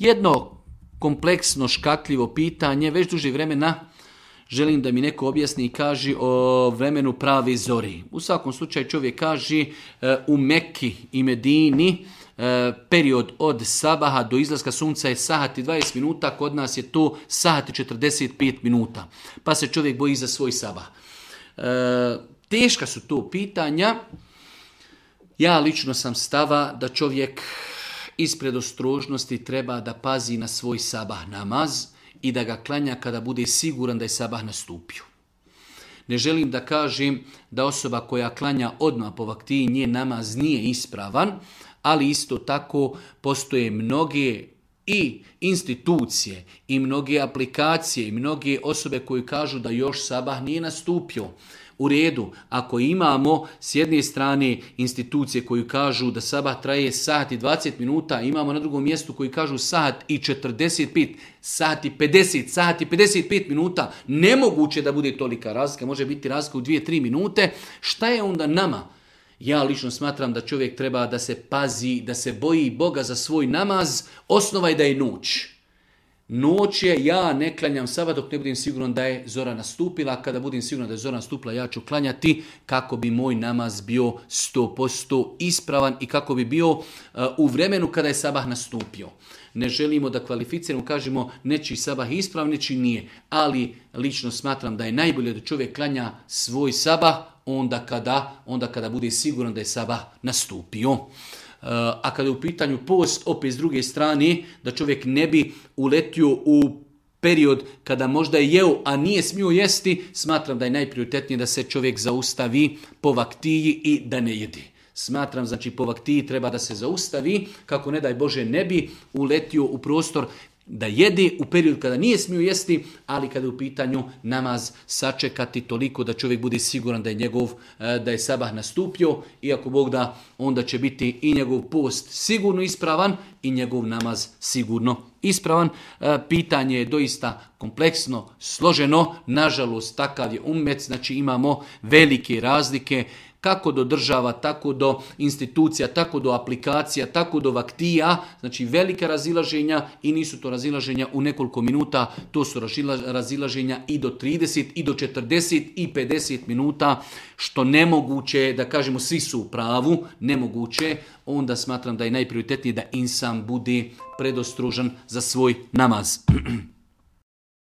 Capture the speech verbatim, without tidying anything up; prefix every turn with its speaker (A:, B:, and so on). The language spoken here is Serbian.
A: Jedno kompleksno, škakljivo pitanje, već duže vremena želim da mi neko objasni i kaže o vremenu prave zori. U svakom slučaju čovjek kaže u Mekki i Medini period od sabaha do izlaska sunca je sahat i dvadeset minuta, kod nas je to sahat i četrdeset pet minuta. Pa se čovjek boji za svoj sabah. Teška su to pitanja. Ja lično sam stava da čovjek ispred ostrožnosti treba da pazi na svoj sabah namaz i da ga klanja kada bude siguran da je sabah nastupio. Ne želim da kažem da osoba koja klanja odmah po vaktiji njen namaz nije ispravan, ali isto tako postoje mnoge i institucije i mnoge aplikacije i mnoge osobe koji kažu da još sabah nije nastupio. U redu, ako imamo s jedne strane institucije koji kažu da sabah traje sat i dvadeset minuta, imamo na drugom mjestu koji kažu sat i četrdeset pet, sat i pedeset, sat i pedeset pet minuta, nemoguće da bude tolika razlika, može biti razlika u dvije do tri minute, šta je onda nama? Ja lično smatram da čovjek treba da se pazi, da se boji Boga za svoj namaz, osnova je da je noć. Noć je, ja ne klanjam sabah dok ne budem siguran da je zora nastupila. Kada budem siguran da je zora nastupila, ja ću klanjati kako bi moj namaz bio sto posto ispravan i kako bi bio uh, u vremenu kada je sabah nastupio. Ne želimo da kvalificiramo, kažemo nečiji sabah ispravan, nečiji nije. Ali lično smatram da je najbolje da čovjek klanja svoj sabah onda kada, onda kada bude siguran da je sabah nastupio. A kada je u pitanju post, opet s druge strane, da čovjek ne bi uletio u period kada možda je jeo, a nije smio jesti, smatram da je najprioritetnije da se čovjek zaustavi po vaktiji i da ne jedi. Smatram, znači po vaktiji treba da se zaustavi, kako ne daj Bože ne bi uletio u prostor da jede u period kada nije smio jesti, ali kada je u pitanju namaz sačekati toliko da čovjek bude siguran da je njegov, da je sabah nastupio, i ako Bog da, onda će biti i njegov post sigurno ispravan i njegov namaz sigurno ispravan. Pitanje je doista kompleksno, složeno, nažalost takav je ummet, znači imamo velike razlike, kako do država, tako do institucija, tako do aplikacija, tako do vaktija, znači velika razilaženja i nisu to razilaženja u nekoliko minuta, to su razilaženja i do trideset, i do četrdeset, i pedeset minuta, što nemoguće, da kažemo svi su u pravu, nemoguće, onda smatram da je najprioritetnije da insan bude predostrožan za svoj namaz.